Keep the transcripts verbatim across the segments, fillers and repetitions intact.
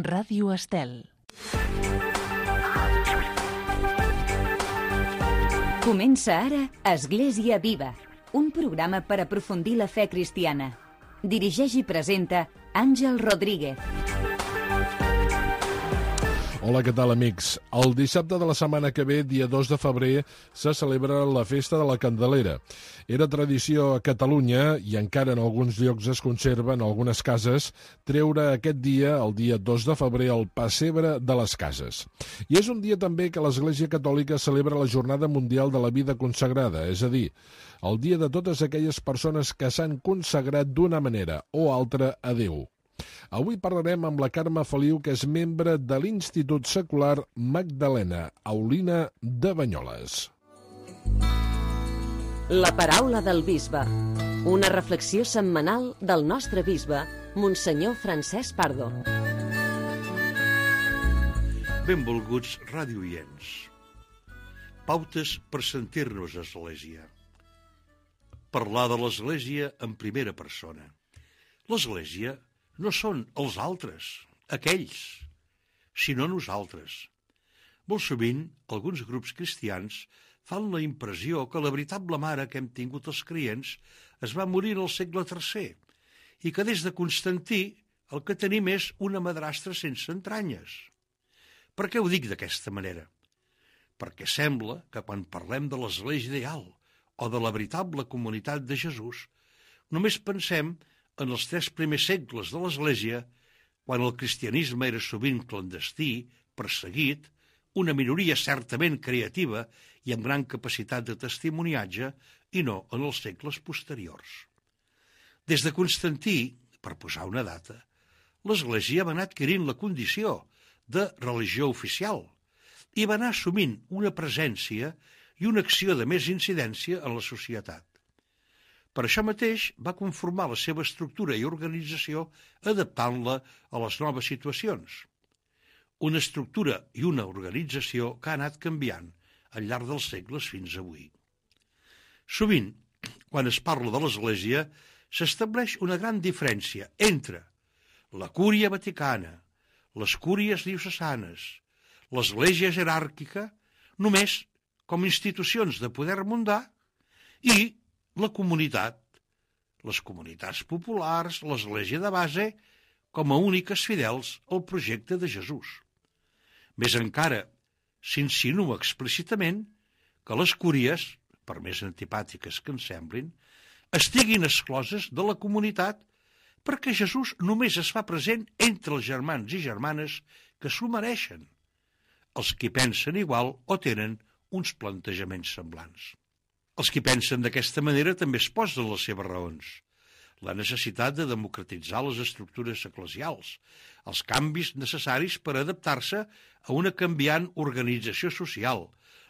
Ràdio Estel. Comença ara Església Viva, un programa per aprofundir la fe cristiana. Dirigeix i presenta Àngel Rodríguez. Hola, què tal, amics? El dissabte de la setmana que ve, dia dos de febrer, se celebra la Festa de la Candelera. Era tradició a Catalunya, i encara en alguns llocs es conserva, en algunes cases, treure aquest dia, el dia dos de febrer, el pessebre de les cases. I és un dia també que l'Església Catòlica celebra la Jornada Mundial de la Vida Consagrada, és a dir, el dia de totes aquelles persones que s'han consagrat d'una manera o altra a Déu. Avui parlarem amb la Carme Feliu, que és membre de l'Institut Secular Magdalena Aulina de Banyoles. La paraula del bisbe. Una reflexió setmanal del nostre bisbe, Monsenyor Francesc Pardo. Benvolguts radioients. Pautes per sentir-nos a l'Església. Parlar de l'Església en primera persona. L'Església no són els altres, aquells, sinó nosaltres. Molt sovint, alguns grups cristians fan la impressió que la veritable mare que hem tingut els creients es va morir al segle tercer i que des de Constantí el que tenim és una madrastra sense entranyes. Per què ho dic d'aquesta manera? Perquè sembla que quan parlem de l'Església ideal o de la veritable comunitat de Jesús, només pensem en els tres primers segles de l'Església, quan el cristianisme era sovint clandestí, perseguit, una minoria certament creativa i amb gran capacitat de testimoniatge, i no en els segles posteriors. Des de Constantí, per posar una data, l'Església va anar adquirint la condició de religió oficial i va anar assumint una presència i una acció de més incidència en la societat. Per això mateix va conformar la seva estructura i organització adaptant-la a les noves situacions. Una estructura i una organització que ha anat canviant al llarg dels segles fins avui. Sovint, quan es parla de l'Església, s'estableix una gran diferència entre la Cúria Vaticana, les Cúries diocesanes, l'Església jeràrquica, només com institucions de poder mundà, i la comunitat, les comunitats populars, l'Església de base, com a úniques fidels al projecte de Jesús. Més encara, s'insinua explícitament que les cúries, per més antipàtiques que ens semblin, estiguin excloses de la comunitat perquè Jesús només es fa present entre els germans i germanes que s'ho mereixen, els que pensen igual o tenen uns plantejaments semblants. Els qui pensen d'aquesta manera també es posen les seves raons. La necessitat de democratitzar les estructures eclesials, els canvis necessaris per adaptar-se a una canviant organització social,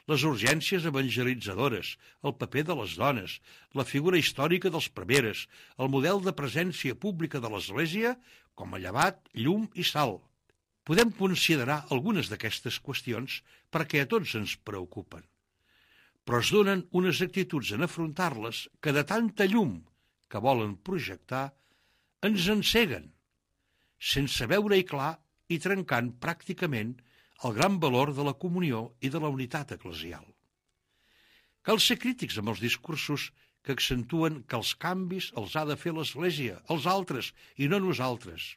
les urgències evangelitzadores, el paper de les dones, la figura històrica dels preveres, el model de presència pública de l'Església com a llevat, llum i sal. Podem considerar algunes d'aquestes qüestions perquè a tots ens preocupen, però es donen unes actituds en afrontar-les que de tanta llum que volen projectar ens enceguen, sense veure-hi clar i trencant pràcticament el gran valor de la comunió i de la unitat eclesial. Cal ser crítics amb els discursos que accentuen que els canvis els ha de fer l'Església, els altres i no nosaltres.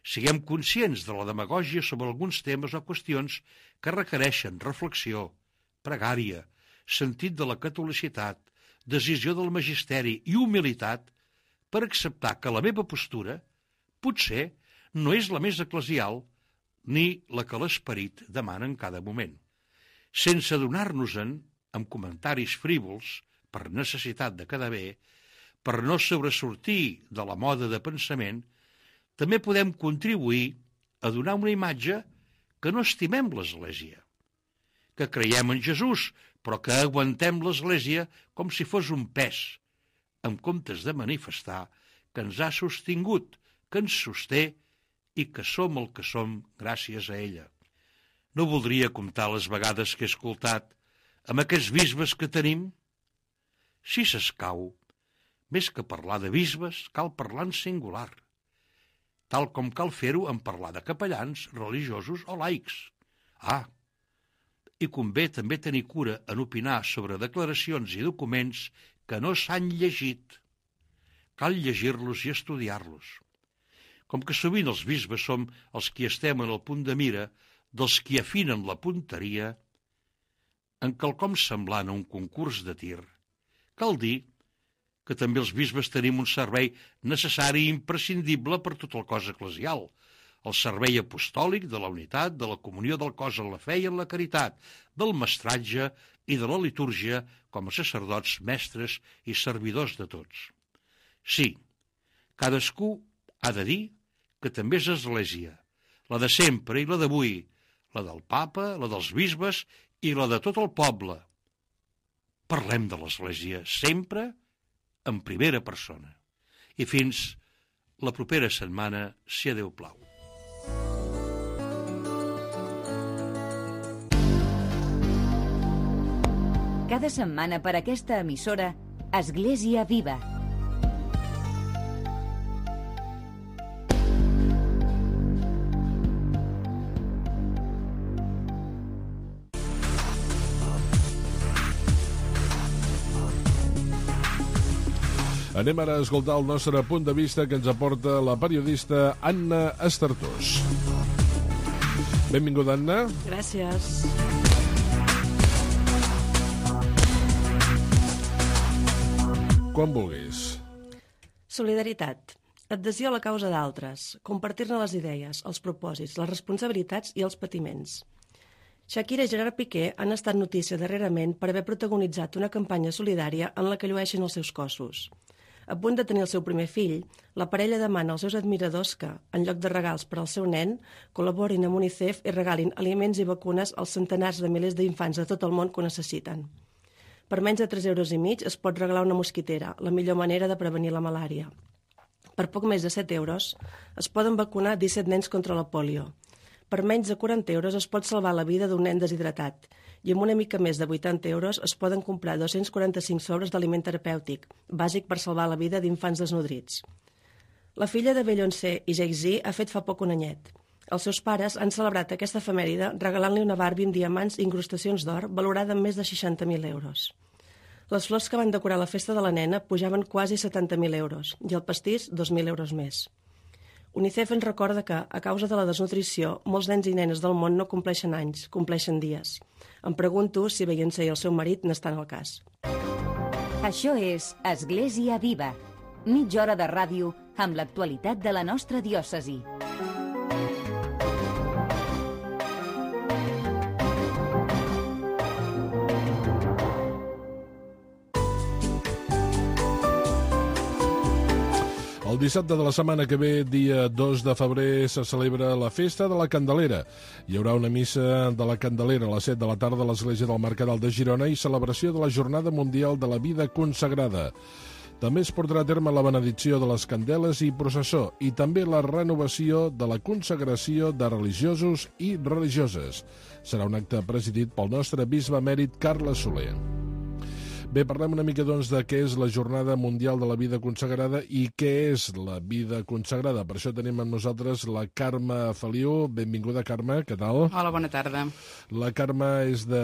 Siguem conscients de la demagògia sobre alguns temes o qüestions que requereixen reflexió, pregària, sentit de la catolicitat, decisió del magisteri i humilitat per acceptar que la meva postura potser no és la més eclesial ni la que l'esperit demana en cada moment. Sense adonar-nos-en, amb comentaris frívols, per necessitat de quedar bé, per no sobresortir de la moda de pensament, també podem contribuir a donar una imatge que no estimem l'Església, que creiem en Jesús, però que aguantem l'Església com si fos un pes, en comptes de manifestar que ens ha sostingut, que ens sosté i que som el que som gràcies a ella. No voldria comptar les vegades que he escoltat amb aquests bisbes que tenim. Si s'escau, més que parlar de bisbes, cal parlar en singular. tal com cal fer-ho en parlar de capellans, religiosos o laics. Ah, i convé també tenir cura en opinar sobre declaracions i documents que no s'han llegit. Cal llegir-los i estudiar-los. Com que sovint els bisbes som els qui estem en el punt de mira dels qui afinen la punteria, en quelcom semblant a un concurs de tir, cal dir que també els bisbes tenim un servei necessari i imprescindible per tot el cos eclesial, el servei apostòlic de la unitat, de la comunió del cos en la fe i en la caritat, del mestratge i de la litúrgia com a sacerdots, mestres i servidors de tots. Sí, cadascú ha de dir que també és església, la de sempre i la d'avui, la del papa, la dels bisbes i la de tot el poble. Parlem de l'església sempre en primera persona. I fins la propera setmana, si a Déu plau. Cada setmana per aquesta emissora, Església Viva. Anem ara a escoltar el nostre punt de vista que ens aporta la periodista Anna Estartós. Benvinguda, Anna. Gràcies. Quan vulguis. Solidaritat. Adhesió a la causa d'altres. Compartir-ne les idees, els propòsits, les responsabilitats i els patiments. Shakira i Gerard Piqué han estat notícia darrerament per haver protagonitzat una campanya solidària en la que llueixen els seus cossos. A punt de tenir el seu primer fill, la parella demana als seus admiradors que, en lloc de regals per al seu nen, col·laborin amb UNICEF i regalin aliments i vacunes als centenars de milers d'infants de tot el món que ho necessiten. Per menys de tres euros i mig es pot regalar una mosquitera, la millor manera de prevenir la malària. Per poc més de set euros es poden vacunar disset nens contra la pòlio. Per menys de quaranta euros es pot salvar la vida d'un nen deshidratat i amb una mica més de vuitanta euros es poden comprar dos-cents quaranta-cinc sobres d'aliment terapèutic, bàsic per salvar la vida d'infants desnodrits. La filla de Beyoncé i Jay-Z ha fet fa poc un anyet. Els seus pares han celebrat aquesta efemèride regalant-li una Barbie amb diamants i incrustacions d'or valorada en més de seixanta mil euros. Les flors que van decorar la festa de la nena pujaven quasi setanta mil euros i el pastís dos mil euros més. UNICEF ens recorda que, a causa de la desnutrició, molts nens i nenes del món no compleixen anys, compleixen dies. Em pregunto si Beyoncé i el seu marit n'estan al cas. Això és Església Viva, mitja hora de ràdio amb l'actualitat de la nostra diòcesi. El dissabte de la setmana que ve, dia dos de febrer, se celebra la Festa de la Candelera. Hi haurà una missa de la Candelera a les set de la tarda a l'Església del Mercadal de Girona i celebració de la Jornada Mundial de la Vida Consagrada. També es portarà a terme la benedicció de les candeles i processó i també la renovació de la consagració de religiosos i religioses. Serà un acte presidit pel nostre bisbe emèrit Carles Soler. Bé, parlem una mica, doncs, de què és la Jornada Mundial de la Vida Consagrada i què és la vida consagrada. Per això tenim amb nosaltres la Carme Feliu. Benvinguda, Carme, què tal? Hola, bona tarda. La Carme és de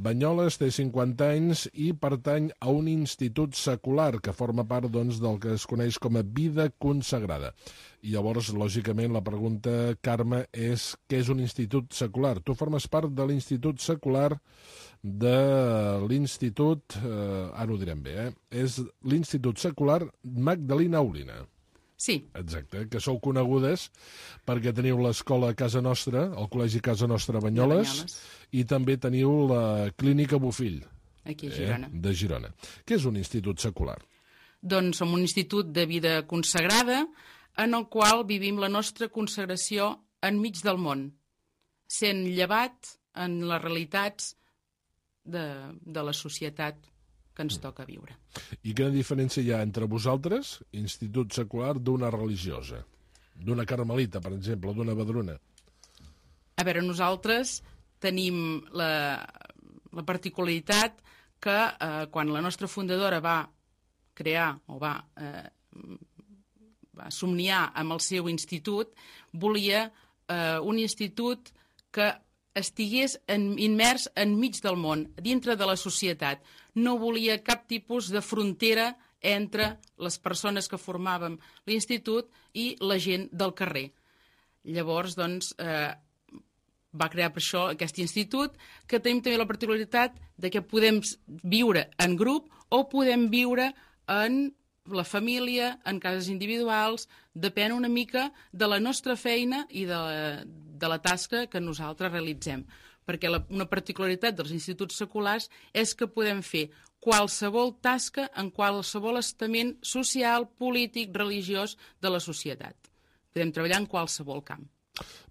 Banyoles, té cinquanta anys i pertany a un institut secular que forma part, doncs, del que es coneix com a vida consagrada. I llavors, lògicament, la pregunta, Carme, és què és un institut secular? Tu formes part de l'institut secular de l'Institut, eh, ara ho direm bé, eh? és l'Institut Secular Magdalena Olina. Sí. Exacte, que sou conegudes perquè teniu l'escola Casa Nostra, el Col·legi Casa Nostra Banyoles, Banyoles, i també teniu la Clínica Bofill, aquí a Girona. Eh, de Girona. Què és un institut secular? Doncs som un institut de vida consagrada en el qual vivim la nostra consagració enmig del món, sent llevat en les realitats de, de la societat que ens toca viure. I quina diferència hi ha entre vosaltres, institut secular, d'una religiosa? D'una carmelita, per exemple, d'una vedruna? A veure, nosaltres tenim la, la particularitat que eh, quan la nostra fundadora va crear o va, eh, va somniar amb el seu institut, volia eh, un institut que estigués en, immers enmig del món, dintre de la societat. No volia cap tipus de frontera entre les persones que formàvem l'institut i la gent del carrer. Llavors, doncs, eh, va crear per això aquest institut, que tenim també la particularitat de que podem viure en grup o podem viure en la família, en cases individuals, depèn una mica de la nostra feina i de la, de la tasca que nosaltres realitzem. Perquè la, una particularitat dels instituts seculars és que podem fer qualsevol tasca en qualsevol estament social, polític, religiós de la societat. Podem treballar en qualsevol camp.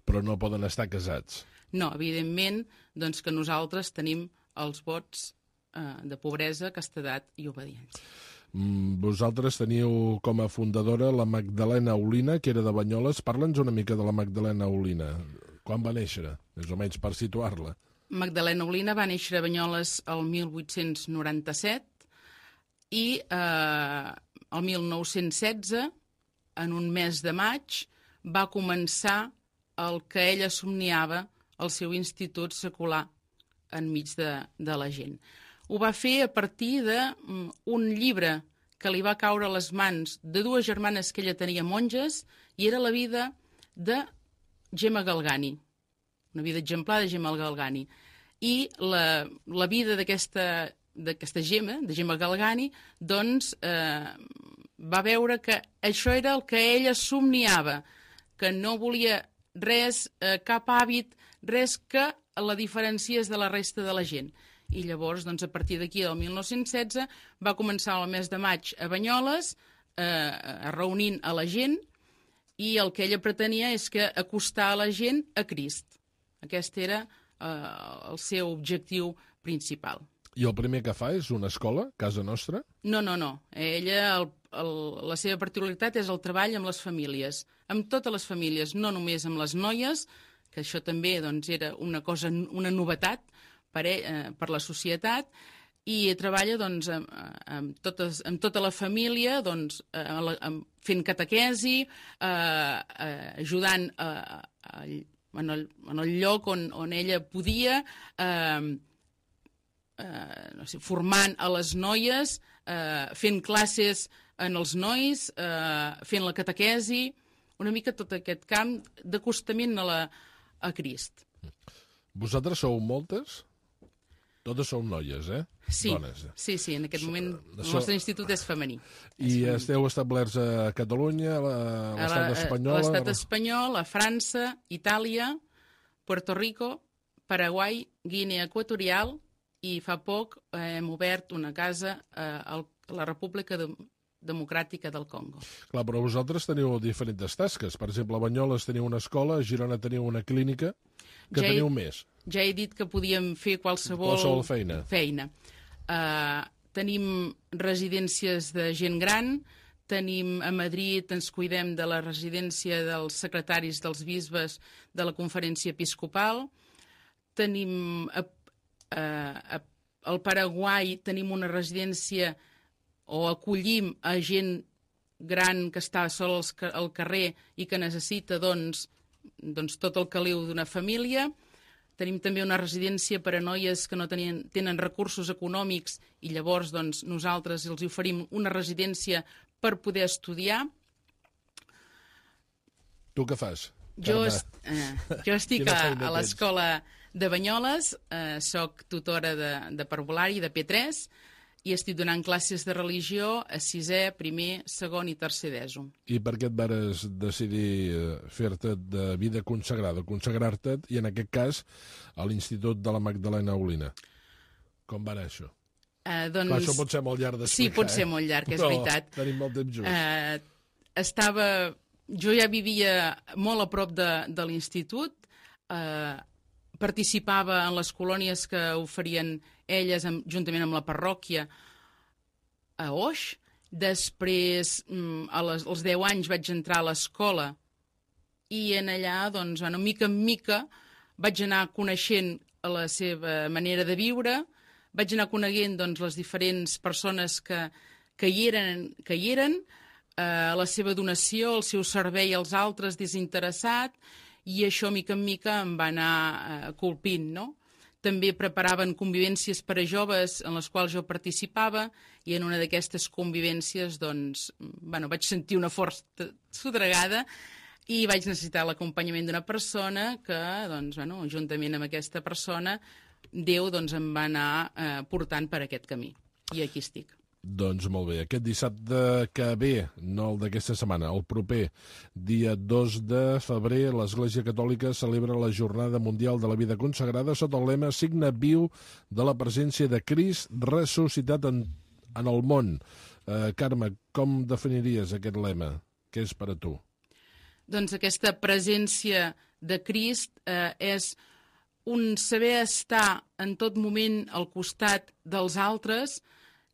Però no poden estar casats. No, evidentment, doncs que nosaltres tenim els vots eh, de pobresa, castedat i obediència. Vosaltres teniu com a fundadora la Magdalena Olina, que era de Banyoles. Parla'ns una mica de la Magdalena Olina. Quan va néixer, més o menys, per situar-la? Magdalena Olina va néixer a Banyoles el mil vuit-cents noranta-set i eh, el mil nou-cents setze, en un mes de maig, va començar el que ella somniava, el seu institut secular enmig de, de la gent. Ho va fer a partir d'un llibre que li va caure a les mans de dues germanes que ella tenia monges, i era la vida de Gemma Galgani, una vida exemplar de Gemma Galgani. I la, la vida d'aquesta d'aquesta Gemma, de Gemma Galgani, doncs eh, va veure que això era el que ella somniava, que no volia res, eh, cap hàbit, res que la diferenciés de la resta de la gent. I llavors, doncs, a partir d'aquí, del mil nou-cents setze, va començar el mes de maig a Banyoles, eh, reunint a la gent, i el que ella pretenia és que acostar a la gent a Crist. Aquest era eh, el seu objectiu principal. I el primer que fa és una escola, casa nostra? No, no, no. Ella, el, el, la seva particularitat és el treball amb les famílies, amb totes les famílies, no només amb les noies, que això també doncs, era una cosa, una novetat per, eh, per la societat, i treballa doncs, amb, amb, totes, amb tota la família, doncs, eh, amb, fent catequesi, eh, eh, ajudant eh, a, en, el, en el lloc on, on ella podia, eh, eh, no sé, formant a les noies, eh, fent classes en els nois, eh, fent la catequesi, una mica tot aquest camp d'acostament a, la, a Crist. Vosaltres sou moltes? Totes sou noies, eh? Sí, Dones. sí, sí, en aquest moment So, el nostre institut és femení. I és femení. Esteu establerts a Catalunya, a l'estat espanyol? A l'estat espanyol, a França, Itàlia, Puerto Rico, Paraguai, Guinea Equatorial, i fa poc eh, hem obert una casa eh, a la República de, Democràtica del Congo. Clar, però vosaltres teniu diferents tasques. Per exemple, a Banyoles teniu una escola, a Girona teniu una clínica, que ja teniu he, més. Ja he dit que podíem fer qualsevol, qualsevol feina. feina. Uh, tenim residències de gent gran, tenim a Madrid, ens cuidem de la residència dels secretaris dels bisbes de la Conferència Episcopal, tenim a, a, a, al Paraguai tenim una residència o acollim a gent gran que està sol al carrer i que necessita doncs, doncs, tot el caliu d'una família. Tenim també una residència per a noies que no tenien, tenen recursos econòmics i llavors doncs, nosaltres els oferim una residència per poder estudiar. Tu què fas? Jo, est, eh, jo estic a, a l'escola de Banyoles, eh, soc tutora de, de parvulari de P tres, i estic donant classes de religió a sisè, primer, segon i tercer d'ESO. I per què et vares decidir fer-te de vida consagrada, consagrar-te, i en aquest cas a l'Institut de la Magdalena Olina? Com va anar això? Uh, doncs... Clar, això pot ser molt llarg d'explicar. Sí, pot ser eh? molt llarg, és Però veritat. Tenim molt temps just. Uh, estava... Jo ja vivia molt a prop de, de l'institut, uh, participava en les colònies que oferien elles amb, juntament amb la parròquia a Oix. Després, a les, als deu anys, vaig entrar a l'escola i en allà, doncs, bueno, mica en mica, vaig anar coneixent la seva manera de viure, vaig anar coneguent doncs, les diferents persones que, que hi eren, que hi eren eh, la seva donació, el seu servei als altres desinteressat, i això, mica en mica, em va anar eh, colpint, no? També preparaven convivències per a joves en les quals jo participava, i en una d'aquestes convivències doncs, bueno, vaig sentir una força sotragada i vaig necessitar l'acompanyament d'una persona que, doncs, bueno, juntament amb aquesta persona, Déu doncs, em va anar eh, portant per aquest camí. I aquí estic. Doncs molt bé. Aquest dissabte que ve, no el d'aquesta setmana, el proper dia dos de febrer, l'Església Catòlica celebra la Jornada Mundial de la Vida Consagrada sota el lema Signe viu de la presència de Crist ressuscitat en, en el món. Eh, Carme, com definiries aquest lema? Què és per a tu? Doncs aquesta presència de Crist eh, és un saber estar en tot moment al costat dels altres.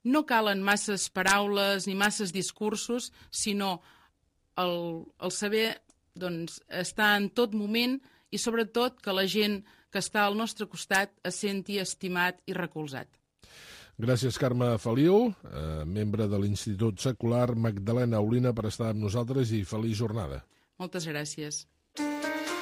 No calen masses paraules ni masses discursos, sinó el, el saber doncs, estar en tot moment i sobretot que la gent que està al nostre costat es senti estimat i recolzat. Gràcies, Carme Feliu, eh, membre de l'Institut Secular Magdalena Olina, per estar amb nosaltres i feliç jornada. Moltes gràcies.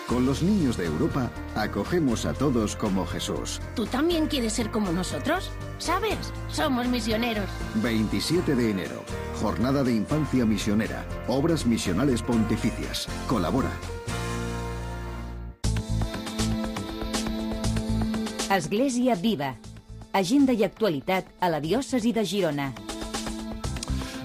Con los niños de Europa, acogemos a todos como Jesús. ¿Tú también quieres ser como nosotros? ¿Sabes? Somos misioneros. veintisiete de enero, Jornada de Infancia Misionera. Obras Misionales Pontificias. Colabora. Església Viva. Agenda i actualitat a la diòcesi de Girona.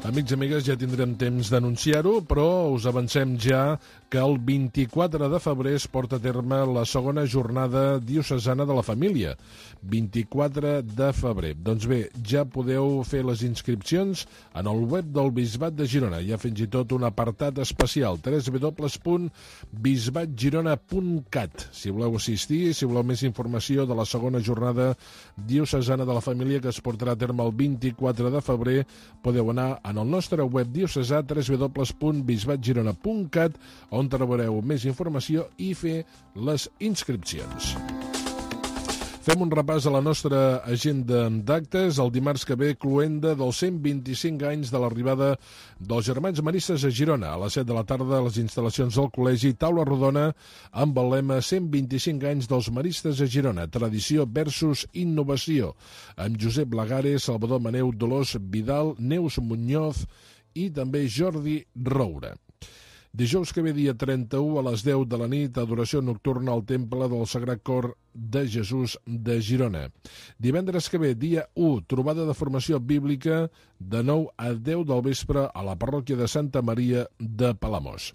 Amics i amigues, ja tindrem temps d'anunciar-ho, però us avancem ja que el vint-i-quatre de febrer es porta a terme la segona jornada diocesana de la família. vint-i-quatre de febrer. Doncs bé, ja podeu fer les inscripcions en el web del Bisbat de Girona. Hi ha fins i tot un apartat especial, w w w punt bisbat girona punt cat. Si voleu assistir, si voleu més informació de la segona jornada diocesana de la família que es portarà a terme el vint-i-quatre de febrer, podeu anar en el nostre web diocesà, w w w punt bisbat girona punt cat, on trobareu més informació i fer les inscripcions. Fem un repàs a la nostra agenda d'actes. El dimarts que ve, cloenda dels cent vint-i-cinc anys de l'arribada dels Germans Maristes a Girona. A les set de la tarda, a les instal·lacions del col·legi, taula rodona amb el lema cent vint-i-cinc anys dels Maristes a Girona, tradició versus innovació, amb Josep Lagares, Salvador Maneu, Dolors Vidal, Neus Muñoz i també Jordi Roura. Dijous que ve, dia trenta-u, a les deu de la nit, adoració nocturna al Temple del Sagrat Cor de Jesús de Girona. Divendres que ve, dia u, trobada de formació bíblica de nou a deu del vespre a la parròquia de Santa Maria de Palamós.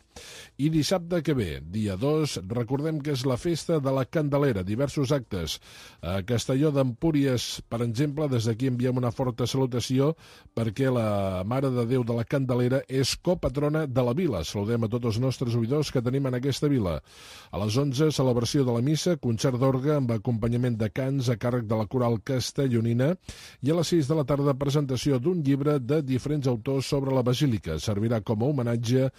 I dissabte que ve, dia dos, recordem que és la festa de la Candelera, diversos actes. A Castelló d'Empúries, per exemple, des d'aquí enviem una forta salutació perquè la Mare de Déu de la Candelera és copatrona de la vila. Saludem a tots els nostres oïdors que tenim en aquesta vila. A les onze, celebració de la missa, concert d'orgue amb acompanyament de cants a càrrec de la coral castellonina, i a les sis de la tarda, presentació d'un llibre de diferents autors sobre la basílica. Servirà com a homenatge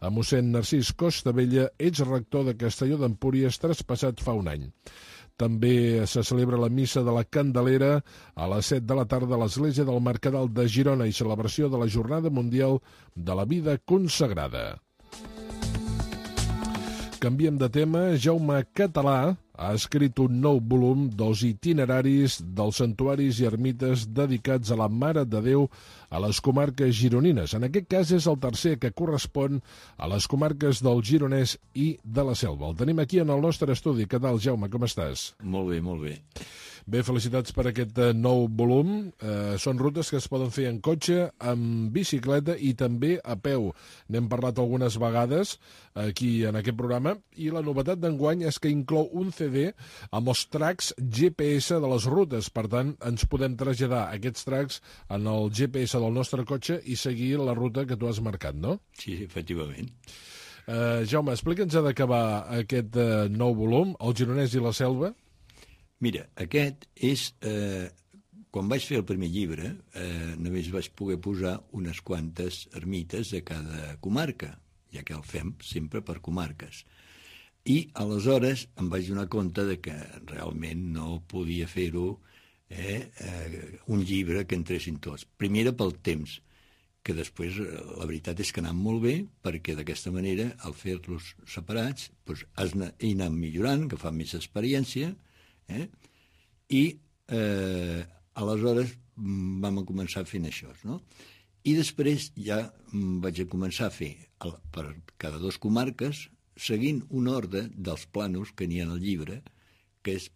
a mossèn Narcís Costabella, exrector de Castelló d'Empúries, traspassat fa un any. També se celebra la missa de la Candelera a les set de la tarda a l'església del Mercadal de Girona i celebració de la Jornada Mundial de la Vida Consagrada. Canviem de tema. Jaume Català ha escrit un nou volum dels itineraris dels santuaris i ermites dedicats a la Mare de Déu a les comarques gironines. En aquest cas és el tercer, que correspon a les comarques del Gironès i de la Selva. El tenim aquí en el nostre estudi. Què tal, Jaume? Com estàs? Molt bé, molt bé. Bé, felicitats per aquest nou volum. Eh, són rutes que es poden fer en cotxe, amb bicicleta i també a peu. N'hem parlat algunes vegades aquí en aquest programa i la novetat d'enguany és que inclou un C D amb els tracks G P S de les rutes. Per tant, ens podem traslladar aquests tracks en el G P S del nostre cotxe i seguir la ruta que tu has marcat, no? Sí, efectivament. Eh, Jaume, explica'ns de què va aquest eh, nou volum, El Gironès i la Selva. Mira, aquest és... Eh, quan vaig fer el primer llibre, eh, només vaig poder posar unes quantes ermites de cada comarca, ja que el fem sempre per comarques. I aleshores em vaig donar compte de que realment no podia fer-ho eh, eh, un llibre que entressin tots. Primera pel temps, que després la veritat és que han anat molt bé, perquè d'aquesta manera, al fer-los separats, doncs, has anat millorant, que fa més experiència, eh? i eh, aleshores vam començar fent això, no? I després ja vaig a començar a fer per cada dos comarques, seguint un ordre dels planos que n'hi ha al llibre, que és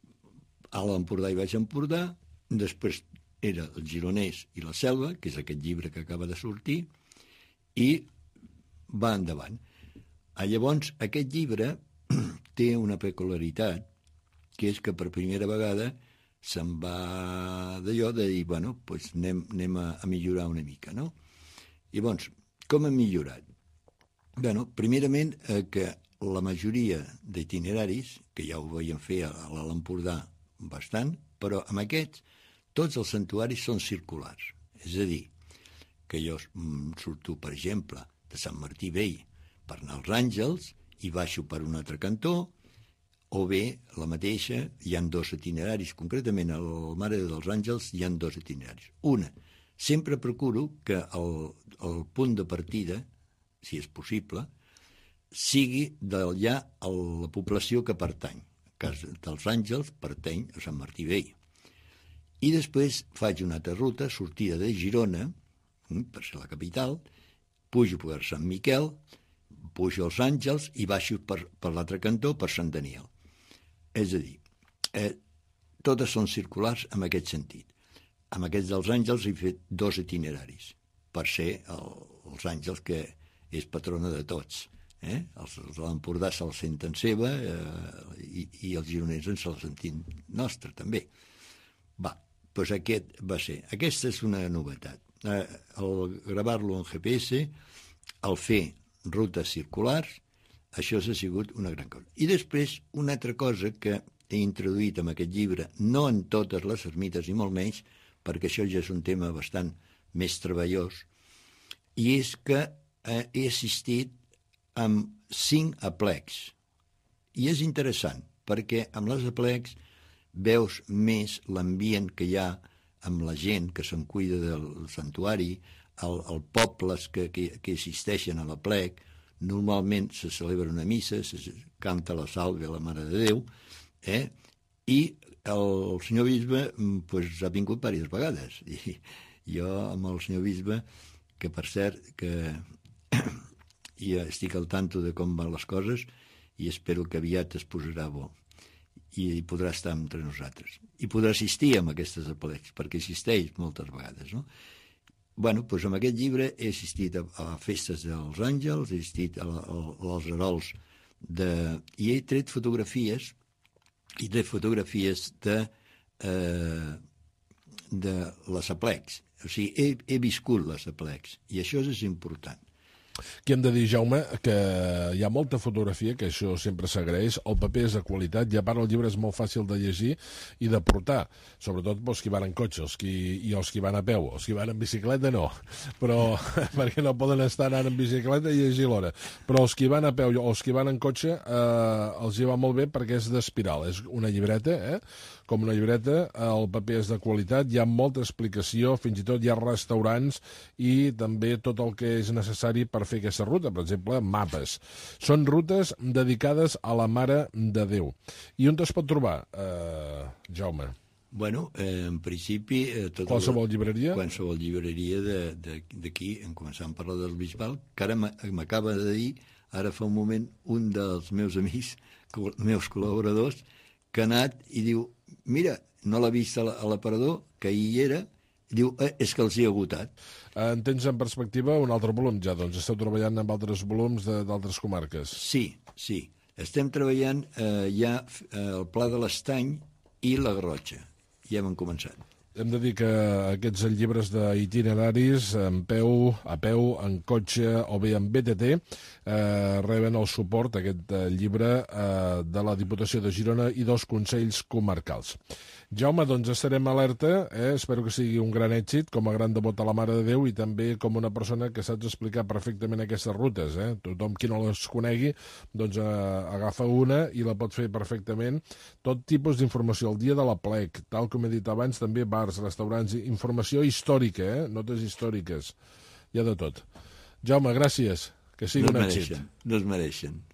Alt Empordà i Baix Empordà, després era el Gironès i la Selva, que és aquest llibre que acaba de sortir, i va endavant. Llavors, aquest llibre té una peculiaritat, que és que per primera vegada se'n va d'allò de dir, bueno, doncs anem, anem a, a millorar una mica, no? Llavors, com hem millorat? Bueno, primerament, eh, que la majoria d'itineraris, que ja ho veiem fer a l'Alt Empordà bastant, però amb aquests, tots els santuaris són circulars. És a dir, que jo mm, surto, per exemple, de Sant Martí Vell per anar als Àngels i baixo per un altre cantó, o bé, la mateixa, hi han dos itineraris, concretament al Mare dels Àngels hi han dos itineraris. Una, sempre procuro que el, el punt de partida, si és possible, sigui d'allà a la població que pertany. El cas dels Àngels pertany a Sant Martí Vell. I després faig una altra ruta, sortida de Girona, per ser la capital, pujo per Sant Miquel, pujo als Àngels i baixo per, per l'altre cantó, per Sant Daniel. És a dir, eh, totes són circulars en aquest sentit. Amb aquests dels Àngels he fet dos itineraris, per ser el, els Àngels que és patrona de tots. Eh? Els, els de l'Empordà se'l senten seva eh, i, i els gironencs se'l sentin nostre, també. Va, doncs aquest va ser. Aquesta és una novetat. Eh, el gravar-lo en G P S, el fer rutes circulars, això ha sigut una gran cosa. I després, una altra cosa que he introduït en aquest llibre, no en totes les ermites i molt menys, perquè això ja és un tema bastant més treballós, i és que eh, he assistit amb cinc aplecs. I és interessant, perquè amb les aplecs veus més l'ambient que hi ha amb la gent que se'n cuida del santuari, el, el pobles que, que, que assisteixen a l'aplec. Normalment se celebra una missa, se canta la salve a la Mare de Déu, eh? I el senyor bisbe pues, ha vingut diverses vegades. I jo amb el senyor bisbe, que per cert, que ja estic al tanto de com van les coses i espero que aviat es posarà bo i podrà estar entre nosaltres. I podrà assistir a aquestes aplecs, perquè assisteix moltes vegades, no? Bueno, doncs amb aquest llibre he assistit a, a festes dels Àngels, he assistit a, a, a als herols de... i he tret fotografies, i tret fotografies de, eh, de les aplecs. O sigui, he, he viscut les aplecs, i això és important. Aquí hem de dir, Jaume, que hi ha molta fotografia, que això sempre s'agraeix, el paper és de qualitat, i a part el llibre és molt fàcil de llegir i de portar, sobretot els qui van en cotxe els qui, i els qui van a peu. Els qui van en bicicleta no, però perquè no poden estar anant en bicicleta i llegir l'hora. Però els qui van a peu o els qui van en cotxe eh, els hi va molt bé perquè és d'espiral, és una llibreta, eh? Com una llibreta, el paper és de qualitat, hi ha molta explicació, fins i tot hi ha restaurants i també tot el que és necessari per fer aquesta ruta, per exemple, mapes. Són rutes dedicades a la Mare de Déu. I on es pot trobar, eh, Jaume? Bueno, eh, en principi... Eh, tota qualsevol llibreria? Qualsevol llibreria d'aquí, en començant a parlar del Bisbal, que ara m'acaba de dir, ara fa un moment, un dels meus amics, meus col·laboradors, que ha anat i diu, mira, no l'ha vist a l'aparador, que hi era, diu, eh, és que els hi ha agotat. En tens en perspectiva un altre volum ja, doncs esteu treballant amb altres volums d'altres comarques. Sí, sí. Estem treballant eh, ja eh, el Pla de l'Estany i la Garrotxa. Ja hem començat. Hem de dir que aquests llibres d'itineraris, en peu, a peu, en cotxe o bé en B T T, eh, reben el suport, aquest eh, llibre, eh, de la Diputació de Girona i dos consells comarcals. Jaume, doncs estarem alerta, eh? Espero que sigui un gran èxit, com a gran devot a la Mare de Déu i també com una persona que saps explicar perfectament aquestes rutes. Eh? Tothom qui no les conegui, doncs eh, agafa una i la pot fer perfectament. Tot tipus d'informació, el dia de l'aplec, tal com he dit abans, també bars, restaurants, informació històrica, eh? Notes històriques. hi ha de tot. Jaume, gràcies, que sigui no un èxit. No es mereixen.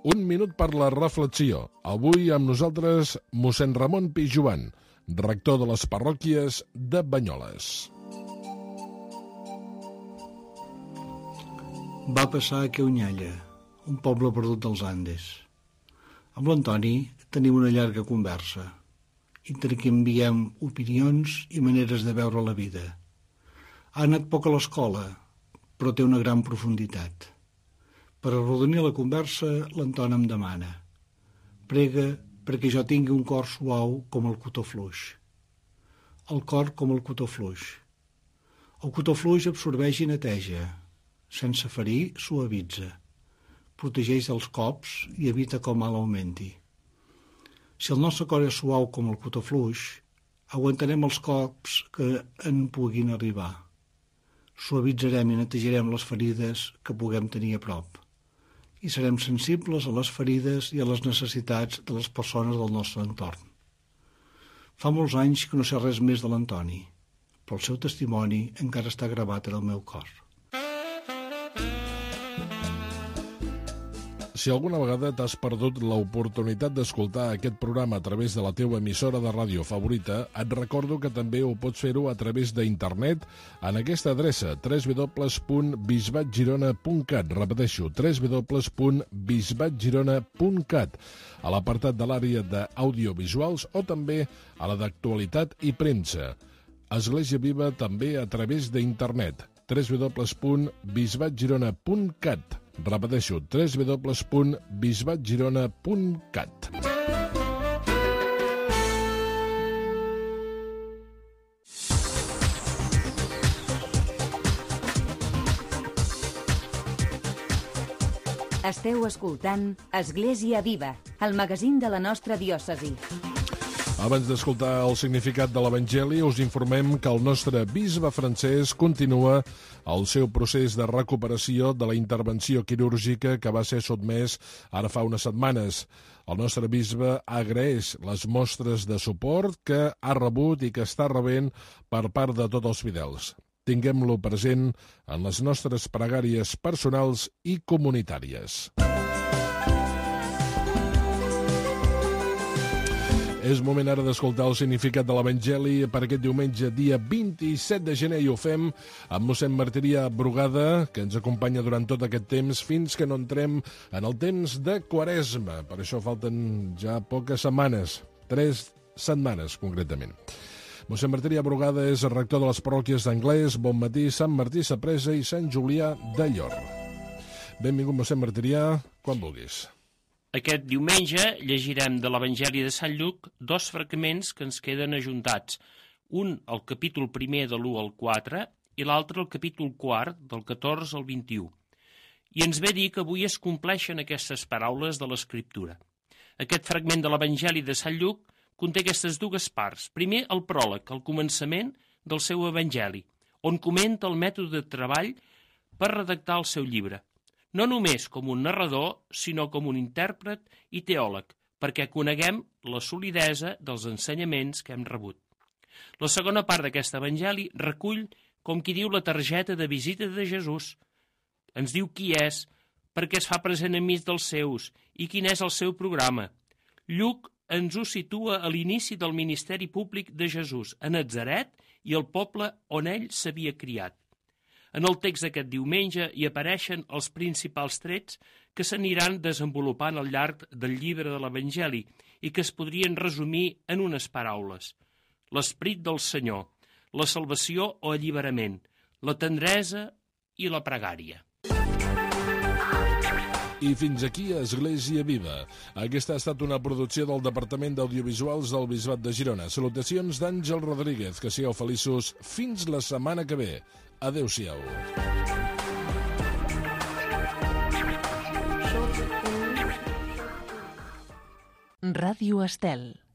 Un minut per la reflexió. Avui amb nosaltres mossèn Ramon Pijoan, rector de les parròquies de Banyoles. Va passar a Queunyalla, un poble perdut dels Andes. Amb l'Antoni tenim una llarga conversa. Intercanviem opinions i maneres de veure la vida. Ha anat poc a l'escola, però té una gran profunditat. Per arrodonir la conversa, l'Antoni em demana: prega perquè jo tingui un cor suau com el cotó fluix. El cor com el cotó fluix. El cotó fluix absorbeix i neteja. Sense ferir, suavitza. Protegeix els cops i evita que el mal augmenti. Si el nostre cor és suau com el cotó fluix, aguantarem els cops que en puguin arribar. Suavitzarem i netejarem les ferides que puguem tenir a prop. I serem sensibles a les ferides i a les necessitats de les persones del nostre entorn. Fa molts anys que no sé res més de l'Antoni, però el seu testimoni encara està gravat en el meu cor. Si alguna vegada t'has perdut l'oportunitat d'escoltar aquest programa a través de la teva emissora de ràdio favorita, et recordo que també ho pots fer-ho a través d'internet en aquesta adreça w w w punt bisbat girona punt cat. Repeteixo, w w w punt bisbat girona punt cat, a l'apartat de l'àrea d'audiovisuals o també a la d'actualitat i premsa. Església Viva també a través d'internet, w w w punt bisbat girona punt cat. Repeteixo, w w w punt bisbat girona punt cat. Esteu escoltant Església Viva, el magazín de la nostra diòcesi. Abans d'escoltar el significat de l'Evangeli, us informem que el nostre bisbe francès continua el seu procés de recuperació de la intervenció quirúrgica que va ser sotmès ara fa unes setmanes. El nostre bisbe agraeix les mostres de suport que ha rebut i que està rebent per part de tots els fidels. Tinguem-lo present en les nostres pregàries personals i comunitàries. És moment ara d'escoltar el significat de l'Evangeli per aquest diumenge, dia vint-i-set de gener, i ho fem amb mossèn Martirià Brugada, que ens acompanya durant tot aquest temps fins que no entrem en el temps de Quaresma. Per això falten ja poques setmanes, tres setmanes concretament. Mossèn Martirià Brugada és el rector de les parròquies d'Anglès, Bonmatí, Sant Martí Sapresa i Sant Julià de Llor. Benvingut, mossèn Martirià, quan vulguis. Aquest diumenge llegirem de l'Evangeli de Sant Lluc dos fragments que ens queden ajuntats. Un, el capítol primer de l'u al quatre, i l'altre, el capítol quart, del catorze al vint-i-u. I ens ve dir que avui es compleixen aquestes paraules de l'Escriptura. Aquest fragment de l'Evangeli de Sant Lluc conté aquestes dues parts. Primer, el pròleg, el començament del seu Evangeli, on comenta el mètode de treball per redactar el seu llibre. No només com un narrador, sinó com un intèrpret i teòleg, perquè coneguem la solidesa dels ensenyaments que hem rebut. La segona part d'aquest evangeli recull, com qui diu, la targeta de visita de Jesús. Ens diu qui és, per què es fa present enmig dels seus i quin és el seu programa. Lluc ens ho situa a l'inici del ministeri públic de Jesús, a Natzaret i el poble on ell s'havia criat. En el text d'aquest diumenge hi apareixen els principals trets que s'aniran desenvolupant al llarg del llibre de l'Evangeli i que es podrien resumir en unes paraules. L'esperit del Senyor, la salvació o alliberament, la tendresa i la pregària. I fins aquí Església Viva. Aquesta ha estat una producció del Departament d'Audiovisuals del Bisbat de Girona. Salutacions d'Àngel Rodríguez. Que sigueu feliços fins la setmana que ve. Adéu-siau. Ràdio Estel.